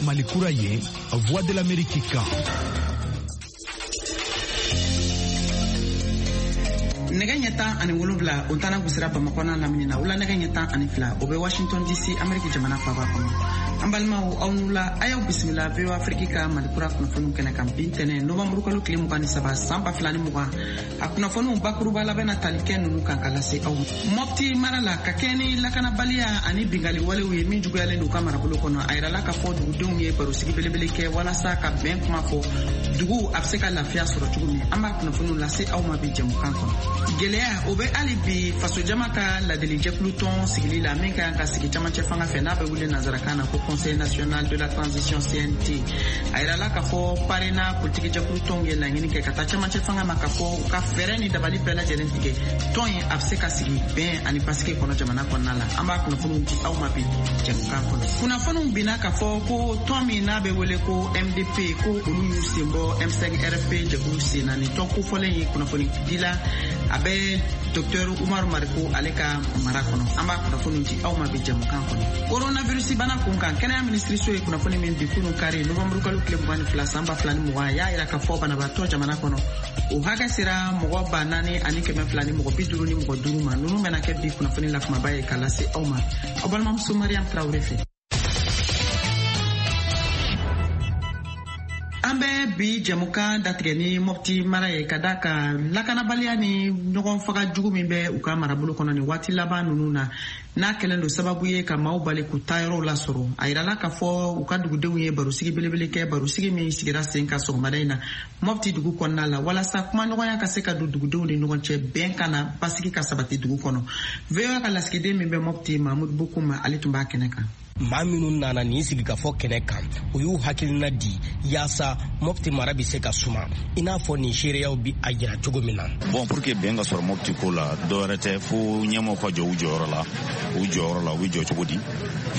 Mali kura ye, Voix de l'Amérique kan. Nɛgɛ ɲɛ 17, o tana gosira Bamakɔ n'a lamini na. Wula nɛgɛ ɲɛ 12, o bɛ Washington DC, Ameriki jamana faba kɔnɔ. An balimaw, aw n'u la, a y'aw bisimila VOA Afrique ka Mali kura kunnafoniw kɛnɛ kan bi ntɛnɛn, novanburukalo tile 23, san 2020. A kunnafoniw bakuruba labɛn na tali kɛ ninnu kan ka lase aw ma. Mɔpti mara la, ka kɛɲɛ ni lakanabaliya ani bingali walew ye min juguyalen don u ka marabolo kɔnɔ, a yirala k'a fɔ dugudenw ye barosigi belebele kɛ walasa ka bɛn kuma fɔ dugu a bɛ se ka lafiya sɔrɔ cogo min. An b'a kunnafoniw lase aw ma bi jɛmukan kɔnɔ. Gɛlɛya o bɛ hali bi fasojama ka ladilijɛkulu tɔn sigili la min ka kan ka sigi camancɛ fanga fɛ, n'a bɛ wele nansarakan na ko Conseil national de la transition, CNT. A yirala k'a fɔ PARENA politikijɛkulu tɔnw ye laɲini kɛ ka taa camancɛ fanga ma k'a fɔ u ka fɛɛrɛ ni dabali bɛɛ lajɛlen tigɛ, tɔn in a bɛ se ka sigi bɛn ani basigi kɔnɔ jamana kɔnɔna la. An b'a kunnafoniw di aw ma bi jɛmukan kɔnɔ. Kunnafoniw binna k'a fɔ ko tɔn min n'a bɛ wele ko MDP, ko olu y'u sen bɔ M5 RFP jɛkulu sen na. Nin tɔn kofɔlen ye kunnafoni dila a bɛ Dr Umaru Mariko ale ka mara kɔnɔ. An b'a kunnafoniw di aw ma bi jɛmukan kɔnɔ. Coronavirus bana kun kan, kɛnɛya minisiriso ye kunnafoni min di kunun kari, novanburu kalo tile 22, san 2020, a y'a yira k'a fɔ banabaatɔ jamana kɔnɔ, o hakɛ sera mɔgɔ 4255 ma. Ninnu bɛna kɛ bi kunnafoni la kumaba ye ka lase aw ma aw balimamuso Mariam Tarawele fɛ. An bɛ bi jɛmukan datigɛ ni Mɔpti mara ye, ka da kan lakanabaliya ni ɲɔgɔn faga jugu min bɛ u ka marabolo kɔnɔ nin waati laban ninnu na, n'a kɛlen don sababu ye ka maaw bali k'u ta yɔrɔw lasɔrɔ. A yirala k'a fɔ u ka dugudenw ye barosigi belebele kɛ, barosigi min sigira sen kan sɔgɔmada in na Mɔpti dugu kɔnɔna la, walasa kumaɲɔgɔnya ka se ka don dugudenw ni ɲɔgɔn cɛ, bɛn ka na, basigi ka sabati dugu kɔnɔ. VOA ka lasigiden min bɛ Mɔpti, Mahmud Bokum, ale tun b'a kɛnɛ kan. Maa minnu nana nin sigikafɔ kɛnɛ kan, u y'u hakilina di yaasa Mɔpti mara bɛ se ka suma, i n'a fɔ nin seereyaw bi a jira cogo min na. Bon, pour que bɛn ka sɔrɔ Mɔpti ko la, dɔwɛrɛ tɛ fo ɲɛmɔgɔw ka jɔ u jɔyɔrɔ la. U jɔyɔrɔ la, u bɛ jɔ cogo di?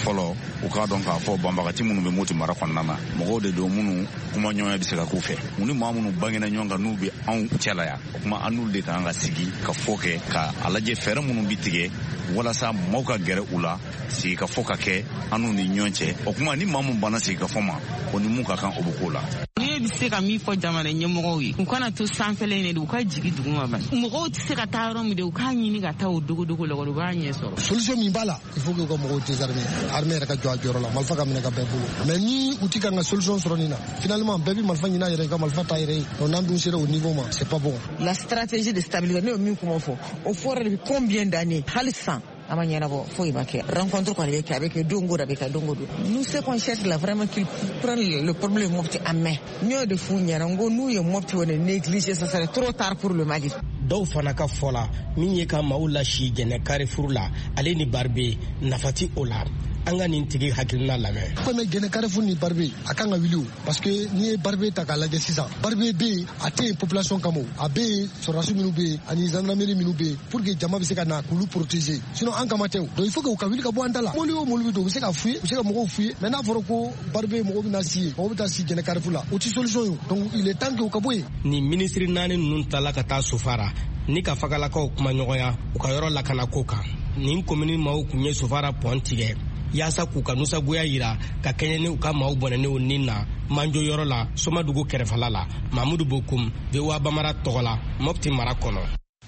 Fɔlɔ, u k'a dɔn k'a fɔ banbagati minnu bɛ Moti mara kɔnɔna na, mɔgɔw de don minnu kumaɲɔgɔnya bɛ se ka k'u fɛ. U ni maa minnu bangena ɲɔgɔn kan, n'u bɛ anw cɛla yan, o kuma an n'olu de kan ka sigi ka fɔ kɛ, ka a lajɛ fɛɛrɛ minnu bɛ tigɛ walasa maaw ka gɛrɛ u la, sigi ka fɔ ka kɛ an n'u ni ɲɔgɔn cɛ. O kuma ni maa mun banna sigi ka fɔ ma, o ni mun ka kan, o bɛ k'o la. Ne bɛ se ka min fɔ jamana ɲɛmɔgɔw ye, u kana to sanfɛla in de, u ka jigi duguma ba. Mɔgɔw tɛ se ka taa yɔrɔ min de, u k'a ɲini ka taa o dogodogo la, u b'a ɲɛ sɔrɔ. Solution min b'a la, il faut que u ka mɔgɔw désarmer, armée yɛrɛ ka jɔ a jɔyɔrɔ la, marifa ka minɛ ka bɛɛ bolo. Mais ni u ti kan ka solution sɔrɔ nin na, finalement bɛɛ bɛ marifa ɲini a yɛrɛ ye, ka marifa ta yɛrɛ ye. Donc n'an dun sera o niveau ma, c'est pas bon. La stratégie de stabilité, ne ye min kuma fɔ, o fɔra depuis combien d'années? Hali sisan a ma ɲɛnabɔ, foyi ma kɛ. Rencontre kɔni bɛ kɛ, a bɛ kɛ don o don, a bɛ kɛ don o don. Nous, ce qu'on cherche là, vraiment, qu'ils prennent le problème Mopti en main. N y'o de f'u ɲɛna, n ko n'u ye Mopti kɔni négligé, ça serait trop tard pour le Mali. Dɔw fana ka fɔ la, min ye ka maaw lasi Jɛnɛ Carrefour la, ale ni Baribe, nafa ti o la. An ka nin tigi hakilina lamɛn. Komi Jɛnɛ Carrefour ni Baribe, a kan ka wuli o, parce que n'i ye Baribe ta k'a lajɛ sisan, Baribe bɛ yen, a tɛ yen population kama, o a bɛ yen sɔrɔdasi minnu bɛ yen ani gendarmerie minnu bɛ yen, pour que jama bɛ se ka na k'olu protéger, sinon an kama tɛ o. Donc il faut que u ka wuli ka bɔ an da la. Mobili o mobili bɛ don, u bɛ se ka f'u ye, u bɛ se ka mɔgɔw f'u ye. Mais n'a fɔra ko Baribe mɔgɔw bɛ na si yen, mɔgɔw bɛ taa si Jɛnɛ Carrefour la, o tɛ solution ye. Donc il est temps que u ka bɔ yen. Nin minisiri naani ninnu taala ka taa Sofara ni ka fagalakaw kumaɲɔgɔnya u ka yɔrɔ lakanako kan. Nin komini maaw kun ye Sofara pɔn tigɛ yaasa k'u ka nusagoya yira ka kɛɲɛ ni u ka maaw bɔnɛnenw ni na manjo yɔrɔ la, Somadugu kɛrɛfɛla la. Mamudu Bokum, VOA Bamara tɔgɔ la, Mɔpti mara kɔnɔ.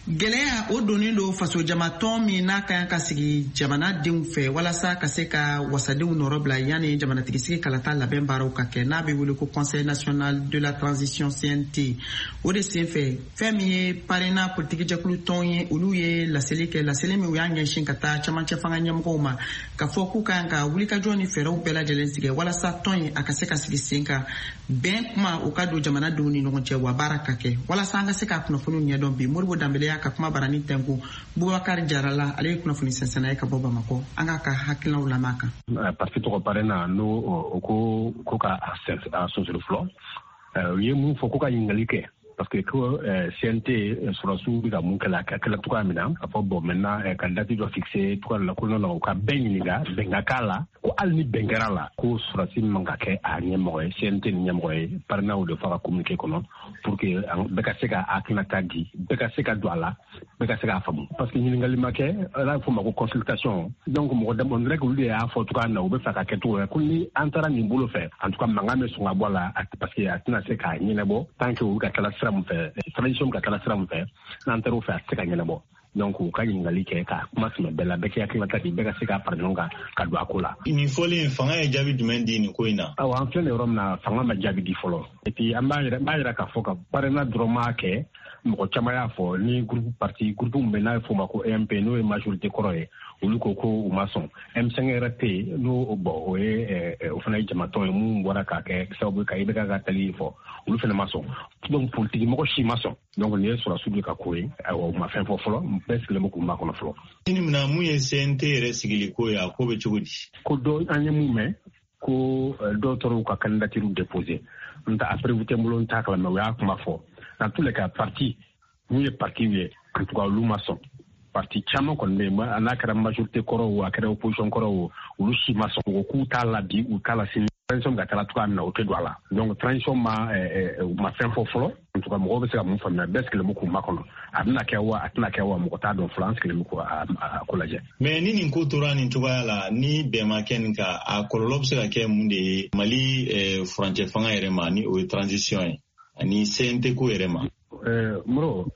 Gɛlɛya o donnen don fasojamatɔn min n'a ka kan ka sigi jamanadenw fɛ walasa ka se ka wasadenw nɔrɔ bila yanni jamanatigisigi kalata labɛn baaraw ka kɛ, n'a bɛ wele ko Conseil national de la transition, CNT. O de senfɛ, fɛn min ye PARENA politikijɛkulu tɔn ye, olu ye laseli kɛ, laseli min u y'a ɲɛsin ka taa camancɛ fanga ɲɛmɔgɔw ma, ka fɔ k'u kan ka wulikajɔ ni fɛɛrɛw bɛɛ lajɛlen tigɛ walasa tɔn in a ka se ka sigi sen kan, bɛn kuma o ka don jamanadenw ni ɲɔgɔn cɛ, wa baara ka kɛ. Walasa an ka se ka kunnafoniw ɲɛdɔn bi, Moribo Danbele y'a ka kuma barani tɛnku Bubakari Jara la, ale ye kunnafoni sɛnsɛnna ye ka bɔ Bamakɔ. An k'a ka hakilinaw lamɛn a kan. Parti tɔgɔ PARENA, n'o o ko ka a sonsori fɔlɔ, u ye mun fɔ? Ko ka ɲininkali kɛ, parce que ko CNT sɔrɔsiw bɛ ka mun kɛlɛ, a kɛlɛ cogoya min na, ka fɔ bon, maintenant ka date dɔ fixé cogoya la, ko non, non, u ka bɛɛ ɲininka, bɛn ka k'a la, ko hali ni bɛn kɛra la, ko sɔrɔsi man ka kɛ a ɲɛmɔgɔ ye, CNT ni ɲɛmɔgɔ ye. PARENA de fɔ a ka communiqué kɔnɔ. pour que bɛɛ ka se ka hakilinata di, bɛɛ ka se ka don a la, bɛɛ ka se k'a faamu, parce que ɲininkali ma kɛ, n'a bɛ f'o ma ko consultation. Donc mɔgɔ dama, on dirait que olu de y'a fɔ cogoya min na, u bɛ fɛ ka kɛ cogo wɛrɛ, ko ni an taara nin bolo fɛ, en tout cas mankan bɛ sɔn ka bɔ a la, parce que a tɛna se k'a ɲɛnabɔ tant que u bɛ ka taa sira min fɛ, transition bɛ ka taa sira min fɛ, n'an taara o fɛ, a tɛ se ka ɲɛnabɔ. Donc u ka ɲininkali kɛ ka kuma sɛmɛ bɛɛ la, bɛɛ k'i hakilinata di, bɛɛ ka se ka fara ɲɔgɔn kan ka don a ko la. Nin fɔlen, fanga ye jaabi jumɛn di nin ko in na? Awa, an filɛ nin yɔrɔ min na, fanga ma jaabi di fɔlɔ. Et puis an b'a yira k'a fɔ ka PARENA dɔrɔn m'a kɛ, mɔgɔ caman y'a fɔ ni groupe parti, groupe min bɛ n'a bɛ f'o ma ko EMP, n'o ye majorité kɔrɔ ye, olu ko ko u ma sɔn. M5 yɛrɛ tɛ yen, n'o bon, o ye o fana ye jamatɔn ye mun bɔra k'a kɛ sababu ye ka IBK ka tali fɔ, olu fana ma sɔn. Donc politique mɔgɔ si ma sɔn. Donc nin ye sɔrɔdasiw de ka ko ye. Ayiwa, u ma fɛn fɔ fɔlɔ, bɛɛ sigilen bɛ k'u makɔnɔ fɔlɔ. Sini min na, mun ye CNT yɛrɛ sigili ko ye, a ko bɛ cogo di? Ko dɔ an ye mun mɛn, ko dɔw taara u ka candidature déposer, n ta a preuve tɛ n bolo, n t'a kalama, u y'a kuma fɔ. Dans tous les cas, parti mun ye parti ye, en tout cas olu ma sɔn. Parti caman kɔni bɛ yen, n'a kɛra majorité kɔrɔ o, a kɛra opposition kɔrɔ o, olu si ma sɔn. U ko k'u t'a la bi, u t'a la sini. Transition bɛ ka taa cogoya min na, o tɛ don a la. Donc transition ma u ma fɛn fɔ fɔlɔ. En tout cas mɔgɔw bɛ se ka mun faamuya, bɛɛ sigilen bɛ k'u makɔnɔ. A bɛna kɛ wa, a tɛna kɛ wa, mɔgɔ t'a dɔn fɔlɔ. An sigilen bɛ k'o ko lajɛ. Mais ni nin ko tora nin cogoya la, ni bɛn ma kɛ nin kan, a kɔlɔlɔ bɛ se ka kɛ mun de ye Mali furancɛ fanga yɛrɛ ma, ni o ye transition ye, ani CNT ko yɛrɛ ma? Moro,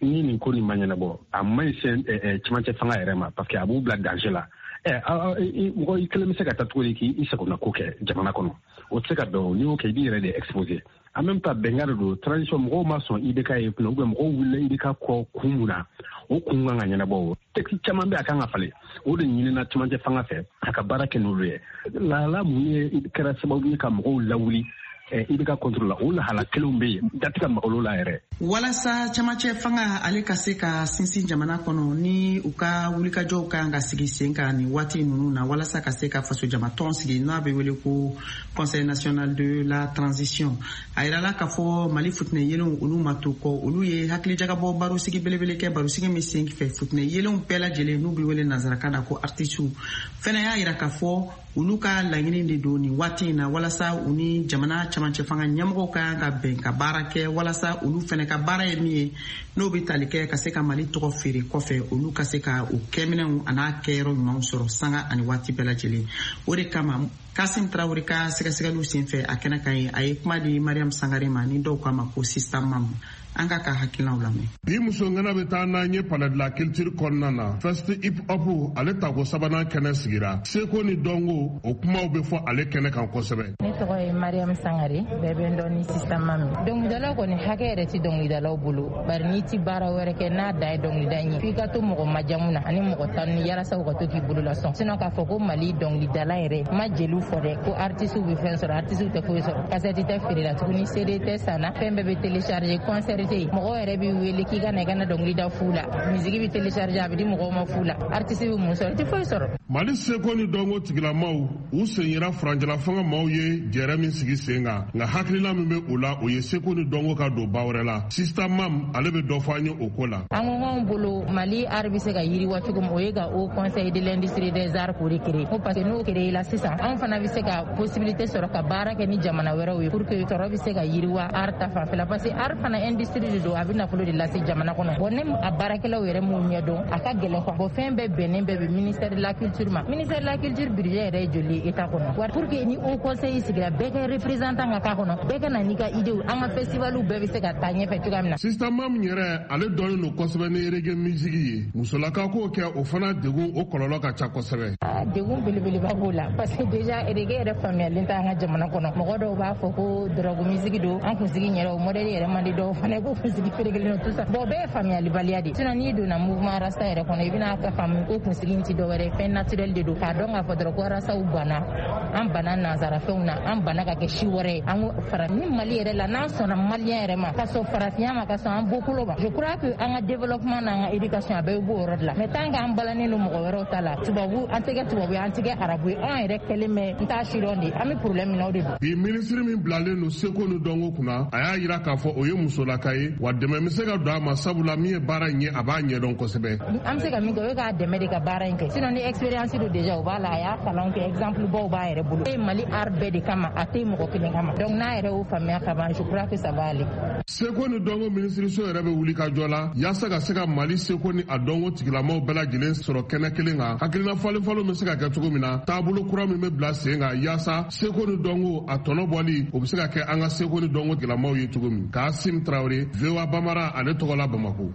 ni nin ko nin ma ɲɛnabɔ, a man ɲi cɛmancɛ fanga yɛrɛ ma, parce que a b'u bila danger la. Mɔgɔ i kelen bɛ se ka taa cogo di k'i sagona ko kɛ jamana kɔnɔ? O tɛ se ka bɛn o. N'i y'o kɛ, i b'i yɛrɛ de exposer. En même temps, bɛnkan de don, transition mɔgɔw ma sɔn IBK ye kunna, ou bien mɔgɔw wulila IBK kɔ kun mun na, o kun kan ka ɲɛnabɔ. O texte caman bɛ, a kan ka falen, o de ɲinina cɛmancɛ fanga fɛ a ka baara kɛ n'olu ye. Lahala mun ye kɛra sababu ye ka mɔgɔw lawuli IBK contre la, o lahala kelenw bɛ yen, da tɛ ka maga olu la yɛrɛ. Walasa camancɛ fanga ale ka se ka sinsin jamana kɔnɔ, ni u ka wulikajɔw ka kan ka sigi sen kan nin waati ninnu na, walasa ka se ka fasojamatɔn sigi, n'a bɛ wele ko Conseil national de la transition, a yirala k'a fɔ Mali futinɛ yelenw, olu ma to kɔ. Olu ye hakilijagabɔ barosigi belebele kɛ, barosigi min sen fɛ, futinɛ yelenw bɛɛ lajɛlen, n'u bɛ wele nansarakan na ko artisiw, fɛnɛ y'a yira k'a fɔ olu ka laɲini de don nin waati in na, walasa u ni jamana camancɛ fanga ɲɛmɔgɔw ka kan ka bɛn ka baara kɛ, walasa olu fɛnɛ ka baara ye min ye, n'o bɛ tali kɛ ka se ka Mali tɔgɔ feere kɔfɛ, olu ka se ka o kɛminɛw an'a kɛyɔrɔ ɲumanw sɔrɔ sanga ani waati bɛɛ lajɛlen. O de kama, Kasim Tarawele ka sɛgɛsɛgɛliw senfɛ a kɛnɛ kan ye, a ye kuma di Mariam Sangare ma, ni dɔw k'a ma ko Sista Mamu. An k'a ka hakilinaw lamɛn. Bi muso ŋana bɛ taa n'an ye Palais de la Culture kɔnɔna na. Fest hip hop, ale tako sabanan kɛnɛ sigira. Seko ni dɔnko, o kumaw bɛ fɔ ale kɛnɛ kan kosɛbɛ. Ne tɔgɔ ye Mariam Sangare, bɛɛ bɛ n dɔn ni Sista Mami. Dɔnkilidalaw kɔni, hakɛ yɛrɛ ti dɔnkilidalaw bolo, bari n'i ti baara wɛrɛ kɛ n'a dan ye dɔnkilida ye, f'i ka to mɔgɔ majamu na ani mɔgɔ tanu yalasa u ka to k'i bolo lasɔn. Sinon k'a fɔ ko Mali dɔnkilidala yɛrɛ ma, jeliw fɔ dɛ ko artisiw bɛ fɛn sɔrɔ, artisiw tɛ foyi sɔrɔ. Kasɛti tɛ feere la tuguni, CD tɛ sanna, fɛn bɛɛ bɛ télécharger, concert tɛ yen. Mɔgɔw yɛrɛ b'i wele k'i ka na, i ka na dɔnkili da fu la. Musique bɛ télécharger, a bɛ di mɔgɔw ma fu la. Artiste bɛ mun sɔrɔ? I tɛ foyi sɔrɔ. Mali seko ni dɔnko tigilamaw, u sen yira furancɛla fanga maaw ye jɛrɛ min sigi sen kan, nka hakilina min bɛ u la, o ye seko ni dɔnko ka don ba wɛrɛ la. Sista Mam, ale bɛ dɔ fɔ an ye o ko la. An ko k'anw bolo, Mali art bɛ se ka yiriwa cogo min, o ye ka Haut Conseil de l'industrie des arts k'o de créer, ko parce que n'o créé la sisan, anw fana bɛ se ka possibilité sɔrɔ ka baara kɛ ni jamana wɛrɛw ye pour que sɔrɔ bɛ se ka yiriwa art ta fanfɛla, parce que art fana industrie de don, a bɛ nafolo de lase jamana kɔnɔ. Bon, ne a baarakɛlaw yɛrɛ m'u ɲɛdɔn, a ka gɛlɛn quoi. Bon, fɛn bɛɛ bɛnnen bɛɛ bɛ ministère de la Culture ma. Ministère de la Culture budget yɛrɛ ye joli ye état kɔnɔ? Wa pour que ni Haut Conseil sigira, bɛɛ ka représentant ka k'a kɔnɔ, bɛɛ ka na n'i ka idée, an ka festival bɛɛ bɛ se ka taa ɲɛfɛ cogoya min na. Sista Mam yɛrɛ, ale dɔnnen don kosɛbɛ ni reggae musique ye. Musolaka k'o kɛ, o fana degun, o kɔlɔlɔ ka ca kosɛbɛ. Degun belebeleba b'o la, parce que déjà reggae yɛrɛ faamuyalen tɛ an ka jamana kɔnɔ. Mɔgɔ dɔw b'a fɔ ko drogue musique don, an kunsigi yɛrɛ, o modèle yɛrɛ man di dɔw fana ko kunsigi ferekelen don, tout ça. Bon, bɛɛ ye faamuyalibaliya de. Sinon n'i donna mouvement rasta yɛrɛ kɔnɔ, i bɛna ka faamu ko kunsigi in ti dɔwɛrɛ, fɛn naturel de don, k'a dɔn k'a fɔ dɔrɔn ko rastaw banna, an banna nansara fɛnw na, an banna ka kɛ si wɛrɛ ye. An ko fara ni Mali yɛrɛ la, n'an sɔnna malien yɛrɛ ma, ka sɔn farafinya ma, ka sɔn an bɔkolo ma, je crois que an ka développement n'an ka éducation, a bɛɛ bɛ b'o yɔrɔ de la. Mais tant qu'an balannen don mɔgɔ wɛrɛw ta la, tubabu, an tɛ kɛ tubabu ye, an tɛ kɛ arabu ye, anw yɛrɛ kɛlen bɛ n t'a sidɔn de, an bɛ problème min na, o de don. Bi, minisiri min bilalen don seko ni dɔnko kunna, a y'a yira k'a fɔ o ye musolaka. ka ye, wa dɛmɛ bɛ se ka don a ma, sabula min ye baara in ye, a b'a ɲɛdɔn kosɛbɛ. An bɛ se ka min kɛ, o ye k'a dɛmɛ de ka baara in kɛ. Sinon ni expérience don déjà, o b'a la, a y'a kalan kɛ, exemple baw b'a yɛrɛ bolo. E Mali art bɛɛ de kama, a tɛ mɔgɔ kelen kama. Donc n'a yɛrɛ y'o faamuya ka ban, je crois que ça va aller. Seko ni dɔnko minisiriso yɛrɛ bɛ wuli ka jɔ la yaasa ka se ka Mali seko ni a dɔnko tigilamaw bɛɛ lajɛlen sɔrɔ kɛnɛ kelen kan. Hakilina falenfalenw bɛ se ka kɛ cogo min na, taabolo kura min bɛ bila sen kan yaasa seko ni dɔnko a tɔnɔ bɔli, o bɛ se ka kɛ an ka seko ni dɔnko tigilamaw ye cogo min. Kasim Tarawele, VOA Bamara, ale tɔgɔ la Bamako.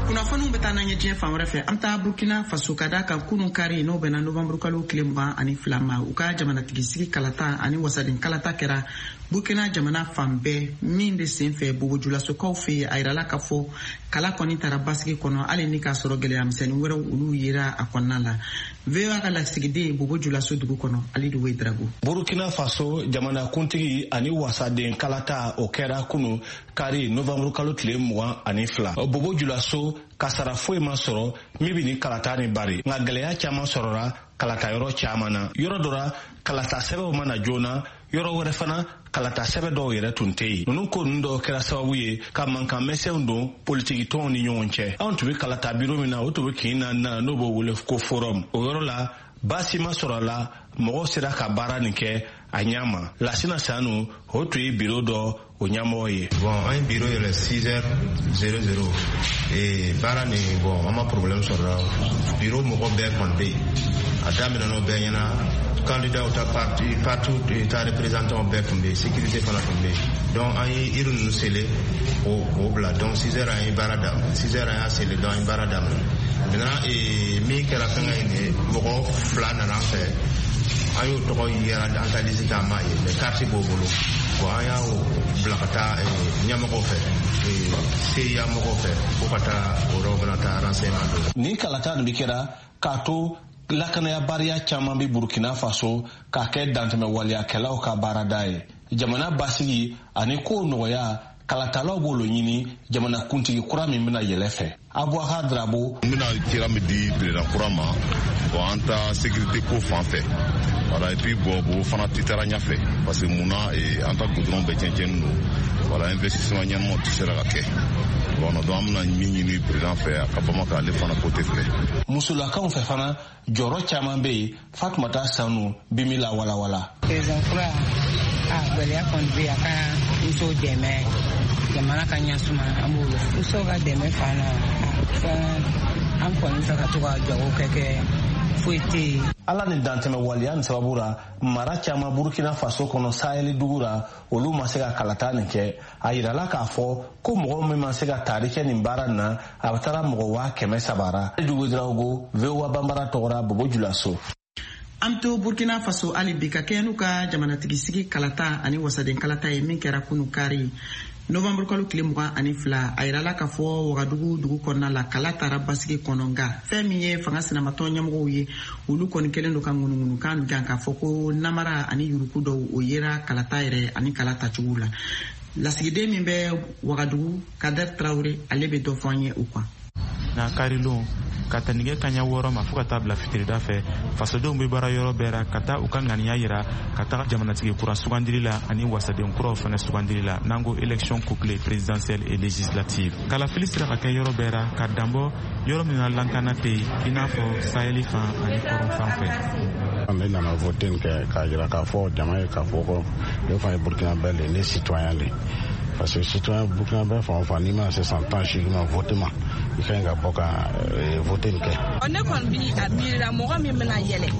Kunnafoniw bɛ taa n'an ye diɲɛ fan wɛrɛ fɛ. An bɛ taa Burkina Faso ka da kan kunun kari, n'o bɛnna novanburu kalo tile 22 ma, u ka jamanatigisigi kalata ani wasaden kalata kɛra Burkina jamana fan bɛɛ. Min de sen fɛ Bobojulasokaw fɛ yen, a yirala k'a fɔ kala kɔni taara basigi kɔnɔ, hali ni k'a sɔrɔ gɛlɛya misɛnnin wɛrɛw olu yera a kɔnɔna la. VOA ka lasigiden Bobojulaso dugu kɔnɔ, Alidu Wedrago. Burkina Faso jamanakuntigi ani wasaden kalata, o kɛra kunu kari novanburu kalo tile 22. Bobojulaso, kasara foyi ma sɔrɔ min bɛ ni kalata ni bari, nka gɛlɛya caman sɔrɔra kalata yɔrɔ caman na. Yɔrɔ dɔ la, kalata sɛbɛnw ma na joona, yɔrɔ wɛrɛ fana, kalata sɛbɛn dɔw yɛrɛ tun tɛ yen. Ninnu ko ninnu dɔw kɛra sababu ye ka mankan misɛnw don politikitɔnw ni ɲɔgɔn cɛ. Anw tun bɛ kalata biro min na, o tun bɛ kin na n'o b'o wele ko forum. O yɔrɔ la, baasi ma sɔrɔ a la, mɔgɔw sera ka baara nin kɛ a ɲɛ ma. Lasina Sanu, o tun ye biro dɔ o ɲɛmɔgɔ ye. Bon, an ye biro yɛlɛ 6h00 et baara nin, bon, an ma problème sɔrɔ la. Biro mɔgɔ bɛɛ kɔni bɛ yen, a daminɛ n'o bɛɛ ɲɛna. Candidat ta parti, parti ta représentant bɛɛ tun bɛ yen, sécurité fana tun bɛ yen. Donc an ye urne ninnu sele k'o bila. Donc 6 heures an ye baara daminɛ, 6 heures an y'a sele, donc an ye baara daminɛ. Maintenant, min kɛra fɛnkɛ in ye, mɔgɔ fila nana an fɛ, an y'o tɔgɔ yɛrɛ an ta liste ta, an m'a ye, mais carte b'o bolo. Bon, an y'a bila ka taa ɲɛmɔgɔw fɛ, CIA mɔgɔw fɛ, ko ka taa o yɔrɔ bɛna taa renseignement don. Nin kalata nin bi kɛra k'a to lakanayabariya caman bɛ Burkina Faso k'a kɛ dantɛmɛ waleyakɛlaw ka baarada ye. Jamana basigi ani kow nɔgɔya, kalatalaw b'olu ɲini jamana kuntigi kura min bɛna yɛlɛ fɛ. Aboubacar Drabo. N bɛna kira min di président kura ma, bon, an ta sécurité ko fan fɛ, voilà, et puis bon, o fana tɛ taara ɲɛfɛ, parce que mun na, an ta goudron bɛɛ tiɲɛ don, voilà, investissement ɲɛnamaw tɛ sera ka kɛ. Bon, donc an bɛna min ɲini président fɛ, a ka Bamako ale fana côté fɛ. Musolakaw fɛ fana, jɔyɔrɔ caman bɛ yen. Fatumata Sanu bi min la walawala. Président kura, a gɛlɛya kɔni bɛ yen, a ka musow dɛmɛ jamana ka ɲasuma, an b'o musow ka dɛmɛ fana fɛn, an kɔni fɛ ka to ka jago kɛ, foyi tɛ yen. Ala ni dantɛmɛ waleya nin sababu la, mara caman Burkina Faso kɔnɔ, Saheli dugu la, olu ma se ka kalata nin kɛ. A yirala k'a fɔ ko mɔgɔ min ma se ka taari kɛ nin baara nin na, a bɛ taara mɔgɔ 300,000 ra. Dugu Drago, VOA Bambara tɔgɔra Bobo Julaso. An to Burkina Faso hali bi, ka kɛɲɛ n'u ka jamanatigisigi kalata ani wasaden kalata ye min kɛra kunu kari novanburu kalo tile 22, a yirala k'a fɔ Wagadugu dugu kɔnɔna la, kala taara basigi kɔnɔ. Nka fɛn min ye fanga sinamatɔn ɲɛmɔgɔw ye, olu kɔni kɛlen don ka ŋunuŋunukan gan k'a fɔ ko namara ani yuruku dɔw o yera kalata yɛrɛ ani kala tacogo la. Lasigiden min bɛ Wagadugu, Kader Traore, ale bɛ dɔ fɔ an ye o kan. Na karilon, ka ta nɛgɛ kaɲa 6 ma fɔɔ ka taa bila fitirida fɛ, fasodenw bɛ baara yɔrɔ bɛɛ ra ka taa u ka ŋaniya yira ka taga jamanatigi kura sugandili la ani wasaden kuraw fana sugandili la, n'an ko élection couplée présidentielle et législative. Kalafili sera ka kɛ yɔrɔ bɛɛ ra ka danbɔ yɔrɔ min na lankana tɛ yen, i n'a fɔ saheli fan ani kɔrɔn fan fɛ. Ne nana vote kɛ k'a yira k'a fɔ jama ye k'a fɔ ko ne fana ye Burkinabè le, ne citoyen le, parce que citoyen burkinabè fan o fan, n'i mana se san 18 ma, vote ma, i ka ɲi ka bɔ ka vote nin kɛ. Ne kɔni bi a miirila mɔgɔ min bɛna yɛlɛ,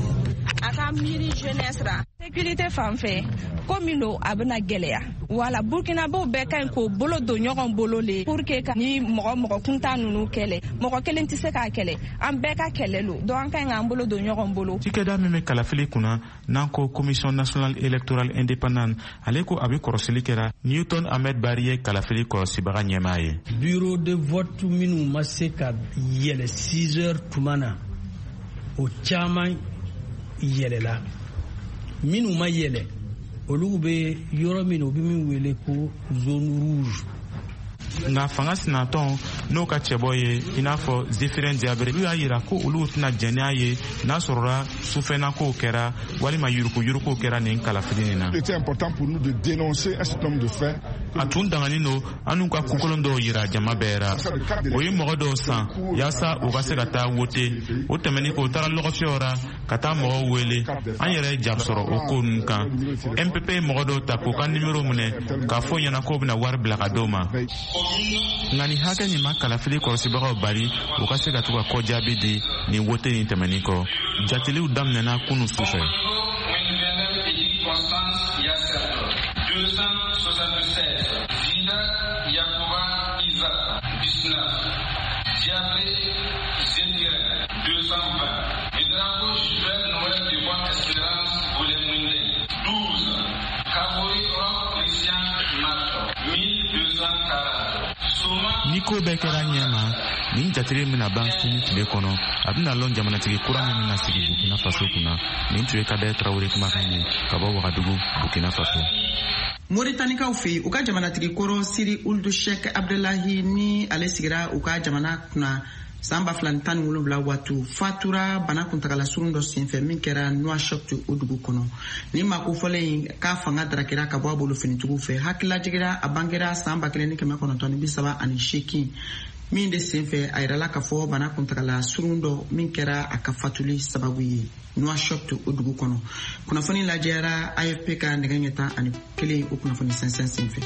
a ka miiri jeunesse ra, sécurité fan fɛ, ko min don a bɛna gɛlɛya. Wala Burkinabɛw bɛɛ ka ɲi k'o bolo don ɲɔgɔn bolo le pour que ka ni mɔgɔ mɔgɔ kuntan ninnu kɛlɛ. Mɔgɔ kelen tɛ se k'a kɛlɛ, an bɛɛ ka kɛlɛ lo, donc an ka ɲi k'an bolo don ɲɔgɔn bolo. Cikɛda min bɛ kalafili kunna, n'an ko Commission nationale électorale indépendante, ale ko a bɛ kɔrɔsili kɛra. Newton Ahmed Bari ye kalafili kɔlɔsibaga ɲɛmaa ye. Bureau de vote minnu ma se ka yɛlɛ 6 heures tuma na, o caman yɛlɛla. Minnu ma yɛlɛ, olu bɛ yɔrɔ min, u bɛ min wele ko zone rouge. Nka fanga sinatɔn n'o ka cɛbɔ ye i n'a fɔ Zéphirin Diabré, olu y'a yira ko olu tɛna jɛn n'a ye n'a sɔrɔla sufɛnakow kɛra walima yurukuyurukuw kɛra nin kalafili nin na. A tun danganen don an n'u ka kokolon dɔw yira jama bɛɛ ra. O ye mɔgɔ dɔw san yaasa u ka se ka taa wote. O tɛmɛnin kɔ, u taara lɔgɔfiyɛw ra ka taa mɔgɔw wele. An yɛrɛ ye ja sɔrɔ o ko ninnu kan. MPP ye mɔgɔ dɔw ta k'u ka nimero minɛ k'a fɔ ɲɛna k'o bɛna wari bila ka d'o ma. Nka nin hakɛ nin ma kalafili kɔlɔsibagaw bali u ka se ka to ka kɔjaabi di nin wote nin tɛmɛnin kɔ. Jateliw daminɛna kunu su fɛ. Ni ko bɛɛ kɛra ɲɛ ma, nin jateli bɛna ban sini tile kɔnɔ. A bɛna lɔn jamanatigi kura min bɛna sigi Burkina Faso kunna. Nin tun ye Kader Traoré kumakan ye ka bɔ Wagadugu, Burkina Faso. Moritanikaw fɛ yen, u ka jamanatigi kɔrɔ Siri Ould Sheikh Abdelahi ni ale sigira u ka jamana kunna san 2017 waati, fatura bana kuntagala surun dɔ senfɛ min kɛra Nouakchott o dugu kɔnɔ. Ni maa kofɔlen in k'a fanga darakira ka bɔ a bolo finitigiw fɛ. Hakililajigila a bangera san 1938 min de senfɛ a yirala k'a fɔ bana kuntagala surun dɔ min kɛra a ka fatuli sababu ye Nouakchott o dugu kɔnɔ. Kunnafoni lajɛra AFP ka nɛgɛ ɲɛ 11 o kunnafoni sɛnsɛn senfɛ.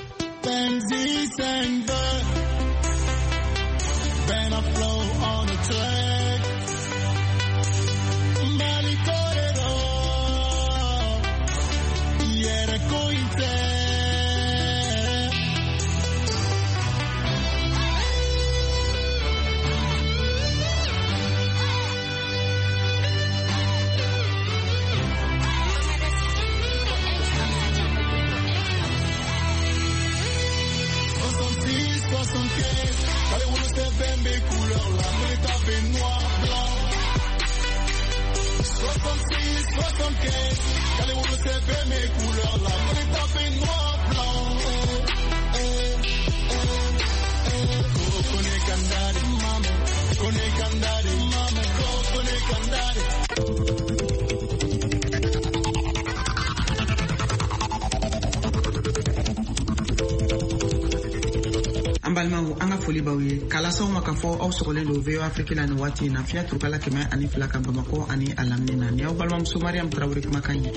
An balimaw, an ka foli b'aw ye k'a las'aw ma k'a fɔ aw sɔgɔlen don VOA Afrique la nin waati in na, fiɲɛ turukala 102 kan Bamakɔ ani a lamini na. Ni aw balimamuso Mariam Traoré kumakan ye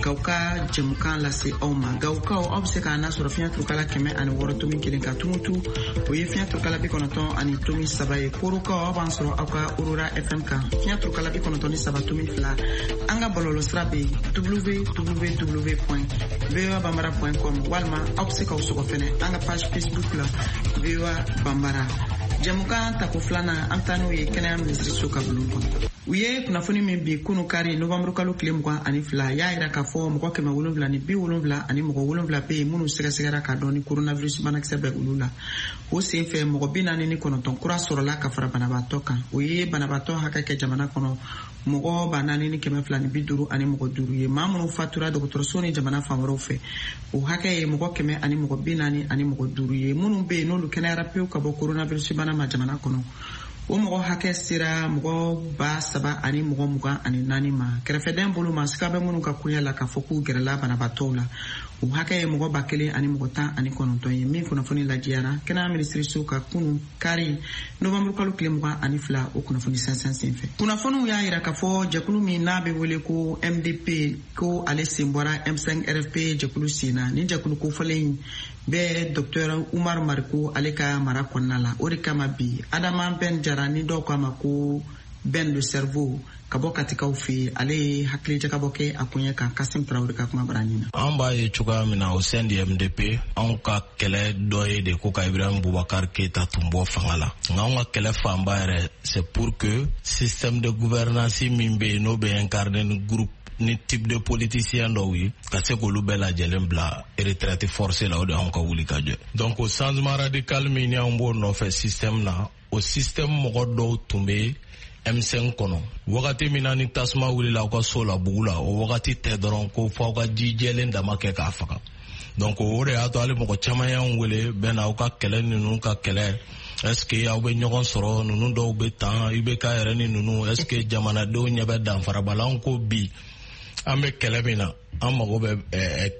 k'aw ka jɛmukan lase aw ma. Gawukaw, aw bɛ se k'an nasɔrɔ fiɲɛ turukala 106.1 kan. Tumutu, o ye fiɲɛ turukala 93.3 ye. Korokaw, aw b'an sɔrɔ aw ka Aurora FM kan, fiɲɛ turukala 93.2. An ka bɔlɔlɔsira bɛ yen www.voabambara.com, walima aw bɛ se k'aw sɔgɔ fɛnɛ an ka page Facebook la VOA Bambara. Jɛmukan tako filanan, an taa n'o ye kɛnɛya minisiriso ka bulon kɔnɔ. U ye kunnafoni min bi kunu kari novanburu kalo tile 22 y'a yira k'a fɔ mɔgɔ 770 ani mɔgɔ 7 bɛ yen minnu sɛgɛsɛgɛra k'a dɔn ni coronavirus banakisɛ bɛ olu la. O sen fɛ mɔgɔ 49 kura sɔrɔla ka fara banabaatɔ kan. O ye banabaatɔ hakɛ kɛ jamana kɔnɔ mɔgɔ 4250 ani mɔgɔ 5 ye. Maa minnu fatura dɔgɔtɔrɔso ni jamana fan wɛrɛw fɛ, o hakɛ ye mɔgɔ 100 ani mɔgɔ 40 ani mɔgɔ 5 ye. Minnu bɛ yen n'olu kɛnɛyara pewu ka bɔ coronavirus bana ma jamana kɔnɔ, o mɔgɔ hakɛ sera mɔgɔ 3000 ani mɔgɔ 24 ma. Kɛrɛfɛdɛn bolo ma siga bɛ minnu ka koɲɛ la k'a fɔ k'u gɛrɛla banabaatɔw la, o hakɛ ye mɔgɔ 1000 ani mɔgɔ 19 ye. Min kunnafoni lajɛyara kɛnɛya minisiriso ka kunu kari novanburu kalo tile 22 o kunnafoni sɛnsɛn senfɛ. Kunnafoniw y'a yira k'a fɔ jɛkulu min n'a bɛ wele ko MDP, ko ale sen bɔra M5 RFP jɛkulu sen na. Nin jɛkulu kofɔlen in bɛ Dr Umar Mariko ale ka mara kɔnɔna la. O de kama bi Adama Ben Jara, ni dɔw k'a ma ko Ben le cerveau, ka bɔ Katikaw fɛ yen, ale ye hakilijakabɔ kɛ a koɲɛ kan Kasim Traoré ka kuma bara ɲin na. An b'a ye cogoya min na, au sein du MDP, anw ka kɛlɛ dɔ ye de ko ka Ibrahim Boubacar Keita tun bɔ fanga la. Nka anw ka kɛlɛ fanba yɛrɛ, c'est pour que système de gouvernance min bɛ yen, n'o bɛ incarné ni groupe ni type de politicien dɔw ye, ka se k'olu bɛɛ lajɛlen bila retraite forcée la. O de y'anw ka wuli ka jɔ. Donc o changement radical min ni anw b'o nɔfɛ système na, o système mɔgɔ dɔw tun bɛ M5 kɔnɔ. Wagati min na ni tasuma wulila aw ka so la bugu la, o wagati tɛ dɔrɔn ko fɔ aw ka ji jɛlen dama kɛ k'a faga. Donc o de y'a to hali mɔgɔ caman y'anw wele bɛɛ na aw ka kɛlɛ ninnu ka kɛlɛ. Est-ce que aw bɛ ɲɔgɔn sɔrɔ, ninnu dɔw bɛ tan, IBK yɛrɛ ni ninnu, est-ce que jamanadenw ɲɛ bɛ danfaraba la? Anw ko bi an bɛ kɛlɛ min na, an mago bɛ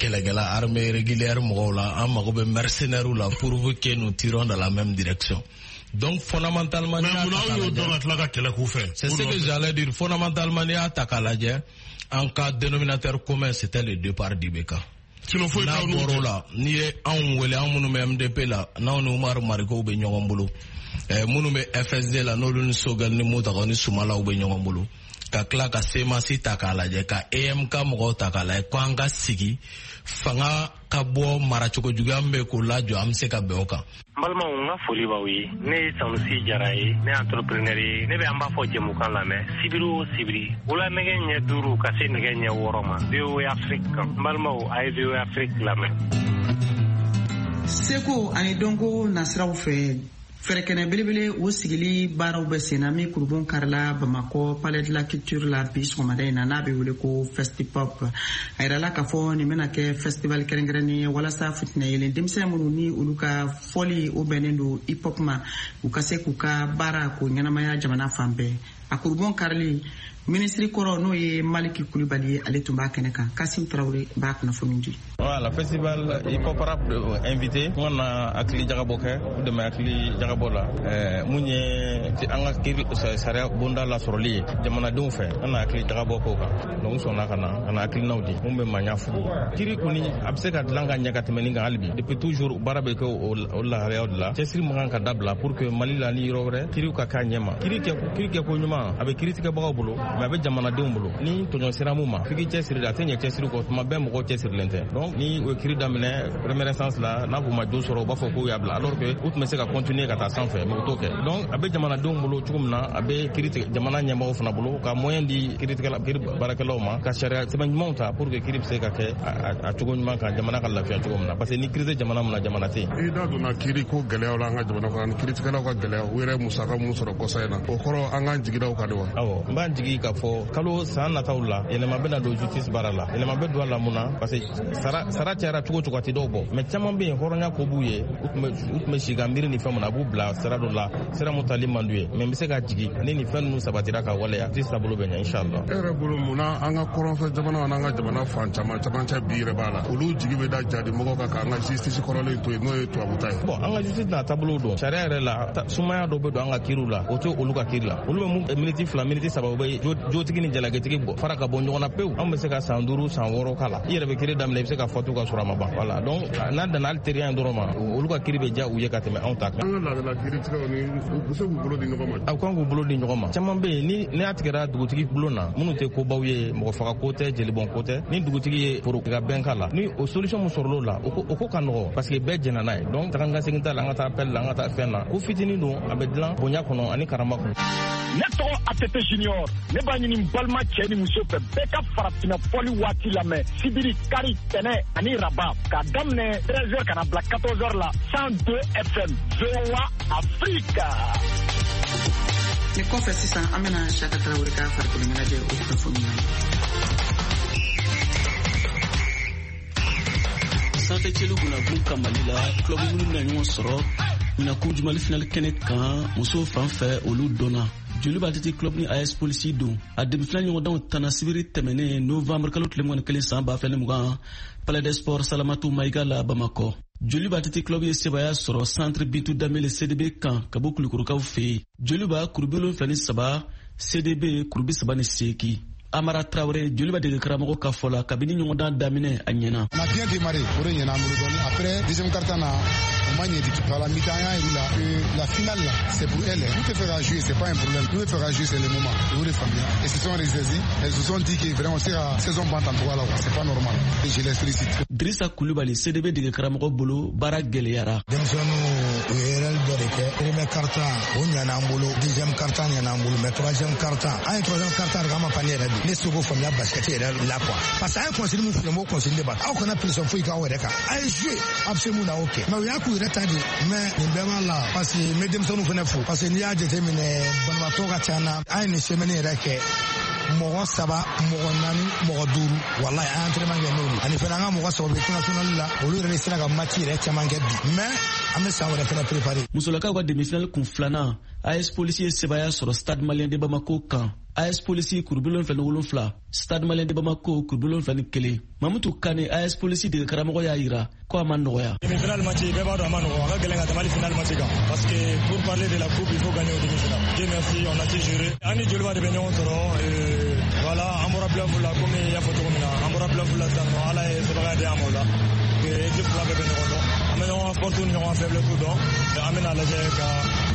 kɛlɛkɛla armée régulière mɔgɔw la, an mago bɛ mercenaires la, pourvu que nous tirons dans la même direction. Donc fondamentalement, mais munna aw y'o dɔn ka tila ka kɛlɛ k'u fɛ? C'est ce que j'allais dire. Fondamentalement, n'i y'a ta k'a lajɛ, an ka dénominateur commun, c'était le départ d'IBK. Sinon foyi N'a t'aw n'u bɔr'o cɛ. la, n'i ye anw wele, anw minnu bɛ MDP la, n'anw ni Umaru Marikow bɛ ɲɔgɔn bolo, minnu bɛ FSD la, n'olu ni Sogɛl ni Mutakaw ni Sumalaw bɛ ɲɔgɔn bolo, ka tila ka CMAS ta k'a lajɛ, ka EMK mɔgɔw ta k'a lajɛ, ko an ka sigi fanga ka bɔ maracogo juguya min bɛ k'o lajɔ, an bɛ se ka bɛn o kan. N balimaw, n ka foli b'aw ye. Ne ye Sanusi Jara ye, ne ye entrepreneur ye. Ne bɛ an b'a fɔ jɛmukan lamɛn sibiri o sibiri, wula nɛgɛ ɲɛ 5 ka se nɛgɛ ɲɛ 6 ma, VOA Afrique kan. N balimaw, a ye VOA Afrique lamɛn. Seko ani dɔnko nasiraw fɛ, fɛrɛkɛnɛ belebele o sigili baaraw bɛ senna min kurubon karila Bamakɔ Palais de la Culture la bi sɔgɔmada in na, n'a bɛ wele ko Festipop. A yirala k'a fɔ nin bɛna kɛ festival kɛrɛnkɛrɛnnen ye walasa fitinɛ yelen denmisɛn minnu ni olu ka fɔli o bɛnnen don hip hop ma, u ka se k'u ka baara k'o ɲɛnamaya jamana fan bɛɛ. A kurubon karili, minisiri kɔrɔ n'o ye Maliki Kulibali ye, ale tun b'a kɛnɛ kan. Kasim Tarawele b'a kunnafoni di. Voilà, festival hip hop rap invité n na hakili jagabɔ kɛ, u dɛmɛ hakili jagabɔ la mun ye an ka kiiri sariya bonda lasɔrɔli ye jamanadenw fɛ, an na hakili jagabɔ k'o kan. Donc n sɔnna ka na ka na hakilinaw di mun bɛ maɲa furu. Kiiri kɔni a bɛ se ka dilan ka ɲɛ ka tɛmɛ nin kan hali bi. Depuis toujours baara bɛ kɛ o lahalayaw de la. Cɛsiri man kan ka dabila pour que Mali la ni yɔrɔ wɛrɛ kiiriw ka k'a ɲɛ ma. Kiiri kɛ ko ɲuman a bɛ kiiritigɛbagaw bolo, mais a bɛ jamanadenw bolo. Ni tɔɲɔ sera mun ma, f'i k'i cɛsiri de, a tɛ ɲɛ cɛsiri kɔ, tuma bɛɛ mɔgɔw cɛsirilen tɛ. Donc ni u ye kiiri daminɛ première instance la, n'a k'u ma jo sɔrɔ, u b'a fɔ k'u y'a bila, alors que u tun bɛ se ka continuer ka taa sanfɛ, mais u t'o kɛ. Donc a bɛ jamanadenw bolo cogo min na, a bɛ kiiri tigɛ jamana ɲɛmɔgɔw fana bolo ka moyen di kiiritigɛla kiiri baarakɛlaw ma ka sariya sɛbɛn ɲumanw ta pour que kiiri bɛ se ka kɛ a cogo ɲuman kan, jamana ka lafiya cogo min na, parce que ni kiiri tɛ jamana min na, jamana tɛ yen. I da donna kiiri ko gɛlɛyaw la an ka jamana kɔnɔ, ani kiiritigɛlaw ka gɛlɛya, u yɛrɛ musaka mun sɔrɔ kɔsa in na, o kɔrɔ an k'an jigi da o kan de wa? Awɔ, n b'an jigi k'a fɔ kalo san nataw la, yɛlɛma bɛna don justice baara la. Yɛlɛma bɛ don a la mun na? Parce que sara cayara cogo cogo, a tɛ dɔw bɔ, mais caman bɛ yen hɔrɔnya ko b'u ye, u tun bɛ si ka miiri ni fɛn mun na, a b'u bila sira dɔ la, sira mun tali man d'u ye. Mais n bɛ se ka jigi ni nin fɛn ninnu sabatira ka waleya, justice taabolo bɛ ɲɛ inchallah. E yɛrɛ bolo, mun na an ka kɔrɔnfɛ jamanaw n'an ka jamana fan caman camancɛ bi yɛrɛ b'a la, olu jigi bɛ da jadi mɔgɔw kan k'an ka justice kɔrɔlen to yen, n'o ye tubabu ta ye? Bon, an ka justice n'a taabolo don. Sariya yɛrɛ la, sumaya dɔ bɛ don an ka kiiriw la, o tɛ olu ka kiiri la. Olu bɛ mun miniti 2, miniti 3, u bɛ jotigi ni jalakitigi bɔ fara ka bɔ ɲɔgɔn na pewu. Anw bɛ se ka san 5, san 6 k'a la. I yɛrɛ bɛ kiiri daminɛ, i bɛ se ka fatu ka sɔrɔ a ma ban. Voilà, donc n'a danna hali teriya in dɔrɔn ma, olu ka kiiri bɛ diya u ye ka tɛmɛ anw ta kan. An ka laadala kiiritigɛw ni u bɛ se k'u bolo di ɲɔgɔn ma. A kan k'u bolo di ɲɔgɔn ma. Caman bɛ yen, ni n'a tigɛra dugutigi bulon na, minnu tɛ kobaw ye, mɔgɔ faga ko tɛ, jelibɔn ko tɛ, ni dugutigi ye foro ka bɛn k'a la, ni o solution mun sɔrɔl'o la, o ko ka nɔgɔ parce que bɛɛ jɛnna n'a ye. Donc taga ni ka segin t'a la, an ka taa appel la, an ka taa fɛn na. Ko fitinin don, a bɛ dilan bonya kɔnɔ ani karama kɔnɔ. Ne tɔgɔ ATT Junior, ne b'a ɲini n balima cɛ ni muso fɛ, bɛɛ ka farafinna fɔli waati lamɛn sibiri, kari, tɛnɛ ani raba, k'a daminɛ 13h ka na bila 14h la, 102 FM, VOA Afrique. Nin kɔfɛ sisan, an bɛna Saka Tarawele ka farikolo ɲɛnajɛ o kunnafoni na. Sanfɛ cɛlu gunagun ka Mali la, club minnu bɛna ɲɔgɔn sɔrɔ ɲinan Coupe du Mali final kɛnɛ kan, musow fan fɛ, olu dɔnna. Joliba Athletic Club ni AS Polisi don. A demi-finale ɲɔgɔndanw tana sibiri tɛmɛnen novembre kalo tile 21 san 2020, Palais des Sports Salamatu Maïga la Bamakɔ. Joliba Athletic Club ye sebaya sɔrɔ Centre Bintu Danbele CDB kan ka bɔ Kulukorokaw fɛ yen. Joliba kuru 73, CDB kuru 38. Amara Traoré, Joliba dege karamɔgɔ ka fɔ la, kabini ɲɔgɔndan daminɛ a ɲɛna. On a bien démarré, o de ɲɛna an bolo dɔɔni. Après deuxième quart-temps na, o ma ɲɛ du tout. Voilà, mi-temps an y'a yir'u la que la finale là, c'est pour elle. Nous tɛ fɛ ka jouer, c'est pas un problème. Nous tɛ fɛ ka jouer, c'est le moment. U y'o de faamuya. Elles se sont ressaisies. Elles se sont dit que vraiment se ka saison ban tan cogoya la quoi, c'est pas normal. Et je les félicite. Drissa Coulibaly, CDB dege karamɔgɔ bolo, baara gɛlɛyara. Denmisɛnninw u ye erreur dɔ de kɛ. Premier quart-temps o ɲɛna an bolo, deuxième quart-temps ɲɛna an bolo, mais troisième quart-temps, an ye troisième quart-temps de kɛ, an ma panier yɛrɛ bi. Ne se k'o faamuya basket yɛrɛ la quoi. Parce que an ye consigne mun f'u ye, n b'o consigne de ba. Aw kana pression foyi k'aw yɛrɛ kan. A ye jouer, a bɛ se mun na, o kɛ. Mais u y'a k'u yɛrɛ ta de. Mais nin bɛɛ b'a la parce que n bɛ denmisɛnninw fana fo. Parce que n'i y'a jateminɛ, banabaatɔ ka ca na. An ye nin semaine yɛrɛ kɛ, mɔgɔ 3, mɔgɔ 4, mɔgɔ 5, walayi an ye entraînement kɛ n'olu. Ani fana an ka mɔgɔ 3 bɛ équipe nationale la, olu yɛrɛ de sera ka match yɛrɛ caman kɛ bi. Mais An bɛ san wɛrɛ fana préparer. Musolakaw ka demi-finale kun filanan, AS Polisi ye sebaaya sɔrɔ Stade Malien de Bamako kan. AS Polisi kuru 77, Stade Malien de Bamako kuru 71. Mamutu Kane, AS Polisi dege karamɔgɔ y'a yira ko a ma nɔgɔya. Demi-finale match, bɛɛ b'a dɔn a ma nɔgɔ, a ka gɛlɛn ka tɛmɛ hali finale match kan. Parce que pour parler de la coupe, il faut gagner au demi-finale. Dieu merci, on a su gérer. An ni Joliba de bɛ ɲɔgɔn sɔrɔ. Voilà, an bɔra playoff la, komi i y'a fɔ cogo min na, an bɔra playoff la sisan nɔ, Ala ye sebaaya di an ma o la. Équipe fila bɛɛ bɛ ɲɔgɔn dɔn. An bɛ ɲɔgɔn ka force ni ɲɔgɔn faiblesse dɔn. An bɛna lajɛ ka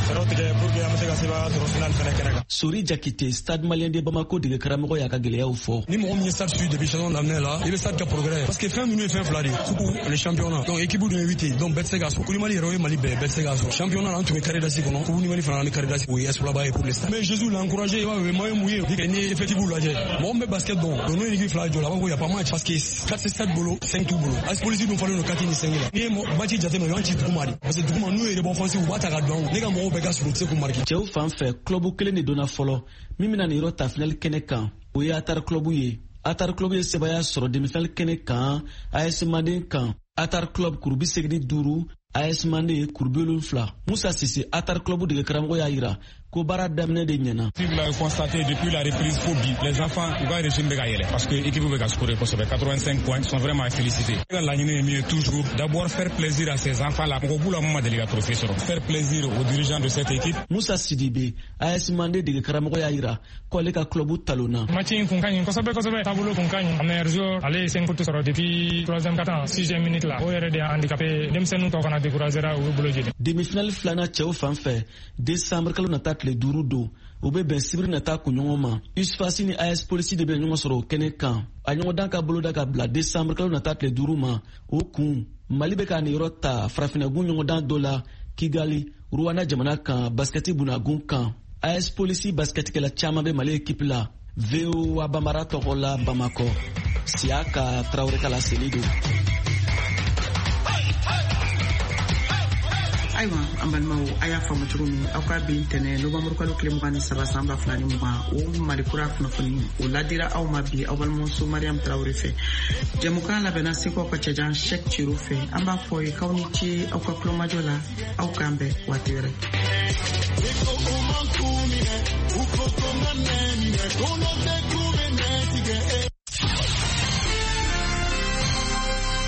fɛɛrɛw tigɛ pour que an bɛ se ka sebaaya sɔrɔ finale fɛnɛ kɛnɛ kan. Sori Jakite, Stade Malien de Bamako dege karamɔgɔ y'a ka gɛlɛyaw fɔ. Ni mɔgɔ min ye Stade suit depuis saison daminɛ la, i bɛ Stade ka progrès. Parce que fɛn ninnu ye fɛn fila de ye. Coupe, le championnat. Donc équipe dun ye 8 ye. Donc bɛɛ tɛ se k'a sɔrɔ. Coupe du Mali yɛrɛ, o ye Mali bɛɛ, bɛɛ tɛ se k'a sɔrɔ. Championnat, an tun bɛ carré d'as kɔnɔ. Coupe du Mali fana, an bɛ carré d'as. O ye exploit ba ye pour le Stade. Mais Jésus l'a encouragé, i b'a ye, o ye moyen mun ye. N'i ye effectif lajɛ, mɔgɔ min bɛ basket dɔn, donc n'o ye équipe fila jɔ la, a b'a fɔ ko y a pas match. Parce que 4 Stade bolo, 5 t'u bolo. AS Police dun falen don 4 ni 5 la. N'i ye match jateminɛ, u y'an ci duguma de. Parce que duguma, n'u ye rebond offensif, u b'a ta ka don. Ne ka mɔgɔw bɛɛ ka surun, u tɛ se k'u marquer. Cɛw fan fɛ, club kelen de donna fɔlɔ min bɛna nin yɔrɔ ta finale kɛnɛ kan, o ye Atar Club ye. Atar Club ye sebaaya sɔrɔ demi-finale kɛnɛ kan AS Manden kan. Atar Club kuru 85, AS Manden kuru 70. Musa Sise, Atar Club dege karamɔgɔ y'a yira ko baara daminɛ de ɲɛna. Si vous l'avez constaté, depuis la reprise fo bi, les enfants, u ka régime bɛ ka yɛlɛ parce que équipe bɛ ka scorer kosɛbɛ. 85 points sont vraiment à féliciter. Ne ka laɲini ye min ye, toujours d'abord faire plaisir à ces enfants là, mɔgɔ b'u la mun ma deli ka trophée sɔrɔ, faire plaisir aux dirigeants de cette équipe. Musa Sidibe, AS Manden dege karamɔgɔ y'a yira ko ale ka club talonna. Match in kun ka ɲi kosɛbɛ kosɛbɛ, taabolo kun ka ɲi. Meilleur joueur, ale ye 5 fautes sɔrɔ depuis troisième quart-temps, sixième minute la. O yɛrɛ de y'a handicapé, denmisɛnninw tɔ kana décourager, u bɛ bolo jeni. Demi-finale filanan cɛw fan fɛ, décembre kalo nata tile 5 don, o bɛ bɛn sibiri nata kunɲɔgɔn ma. USFAS ni AS Polisi de bɛ ɲɔgɔn sɔrɔ o kɛnɛ kan. A ɲɔgɔndan ka boloda ka bila décembre kalo nata tile 5 ma. O kun, Mali bɛ ka niyɔrɔ ta farafinnagun ɲɔgɔndan dɔ la Kigali, Rwanda jamana kan, basikɛti bunagun kan. AS Polisi basikɛtikɛla caman bɛ Mali ekipi la. VOA Bambara tɔgɔ la Bamakɔ, Siyaka Tarawele ka laseli don. Ayiwa, an balimaw, a y'a faamu cogo min, aw ka bi ntɛnɛ nowanburu kalo tile 23 san 2020, o Mali kura kunnafoni o ladira aw ma bi aw balimamuso Mariam Tarawele fɛ. Jɛmukan labɛnna Seko ka cɛjan Shek Ciro fɛ. An b'a fɔ ye k'aw ni ce aw ka kulomajɔ la, aw k'an bɛn waati wɛrɛ.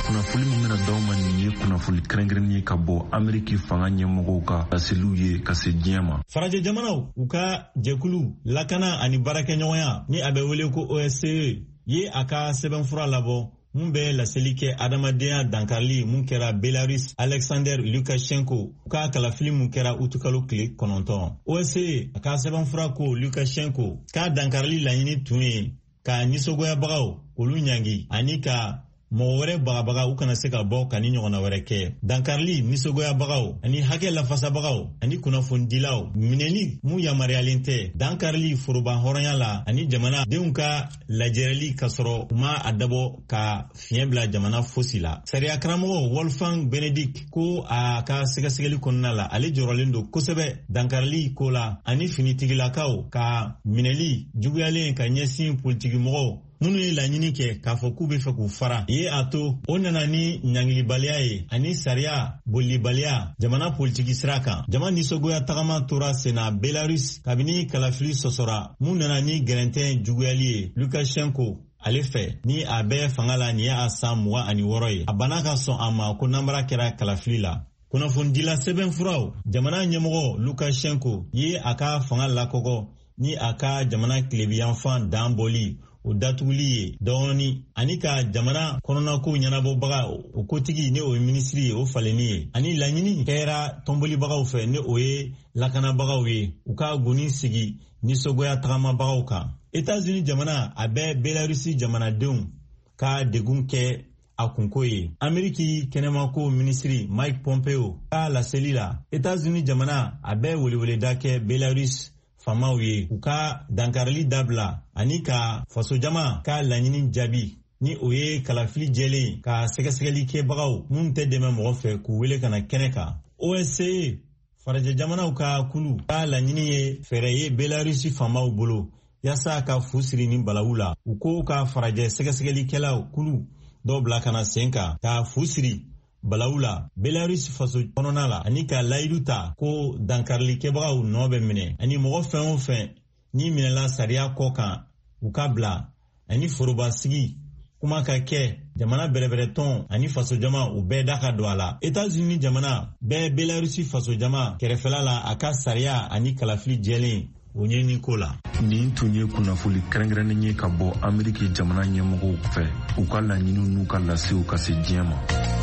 Kunnafoli min bɛna d'aw ma nin ye kunnafoli kɛrɛnkɛrɛnnen ye ka bɔ Ameriki fanga ɲɛmɔgɔw ka laseliw ye ka se diɲɛ ma. Farajɛ jamanaw u ka jɛkulu lakana ani baarakɛɲɔgɔnya, ni a bɛ wele ko OSCE, ye a ka sɛbɛnfura labɔ mun bɛ laseli kɛ adamadenya dankarili mun kɛra Belarus Alexander Lukashenko ka kalafili mun kɛra utukalo tile 9. OSCE a ka sɛbɛnfura ko Lukashenko ka dankarili laɲini tun ye ka nisɔngoyabagaw olu ɲangi ani ka mɔgɔ wɛrɛ bagabaga u kana se ka bɔ ka ni ɲɔgɔnna wɛrɛ kɛ. Dankarili nisɔngoyabagaw ani hakɛ lafasabagaw ani kunnafonidilaw minɛli mun yamaruyalen tɛ, dankarili foroba hɔrɔnya la ani jamana denw ka lajɛrɛli ka sɔrɔ u ma a dabɔ ka fiɲɛ bila jamana fosi la. Sariya karamɔgɔ Wolfgang Benedict ko a ka sɛgɛsɛgɛli kɔnɔna la, ale jɔrɔlen don kosɛbɛ dankarili ko la ani finitigilakaw ka minɛli juguyalen ka ɲɛsin politikimɔgɔw minnu ye laɲini kɛ k'a fɔ k'u bɛ fɛ k'u fara ye, a to o nana ni ɲangilibaliya ye ani sariya bolibaliya jamana politiki sira kan. Jama nisɔngoya tagama tora senna Belarus kabini kalafili sɔsɔra mun nana ni gɛrɛntɛn juguyali ye Lukashenko ale fɛ, ni a bɛ fanga la nin ye a san 26 ye. A banna ka sɔn a ma ko nanbara kɛra kalafili la. Kunnafonidila sɛbɛnfuraw, jamana ɲɛmɔgɔ Lukashenko ye a ka fanga lakɔgɔ ni a ka jamana tilebiyanfan dan bɔli o datuguli ye dɔɔni ani ka jamana kɔnɔnako ɲɛnabɔbaga o kotigi, ni o ye minisiri ye, o falenni ye, ani laɲini kɛra tɔnbolibagaw fɛ, ni o ye lakanabagaw ye, u ka goni sigi nisɔngoya tagamabagaw kan. Etats-Unis jamana a bɛ Belarusi jamanadenw ka degun kɛ a kunko ye. Ameriki kɛnɛmako minisiri Mike Pompeo ka laseli la, Etats-Unis jamana a bɛ weleweleda kɛ Belarus faamaw ye u ka dankarili dabila ani ka fasojama ka laɲini jaabi, ni o ye kalafili jɛlen, ka sɛgɛsɛgɛli kɛbagaw minnu tɛ dɛmɛ mɔgɔ fɛ k'u wele ka na kɛnɛ kan. OSCE, farajɛ jamanaw ka kulu ka laɲini ye fɛɛrɛ ye Belarusi faamaw bolo yaasa ka fu siri ni balawu la. U ko ka farajɛ sɛgɛsɛgɛlikɛlaw kulu dɔw bila ka na sen kan ka fu siri. Balawu la Belarus faso kɔnɔna la, ani ka layidu ta ko dankarilikɛbagaw nɔ bɛ minɛ, ani mɔgɔ fɛn o fɛn ni minɛla sariya kɔ kan, u ka bila, ani forobasigi kuma ka kɛ jamana bɛrɛbɛrɛtɔn ani fasojama, u bɛɛ da ka don a la. Etats-Unis jamana bɛɛ Belarusi fasojama kɛrɛfɛla la a ka sariya ani kalafili jɛlen o ɲɛɲini ko la. Nin tun ye kunnafoli kɛrɛnkɛrɛnnen ye ka bɔ Ameriki jamana ɲɛmɔgɔw fɛ, u ka laɲiniw n'u ka lasew ka se diɲɛ ma.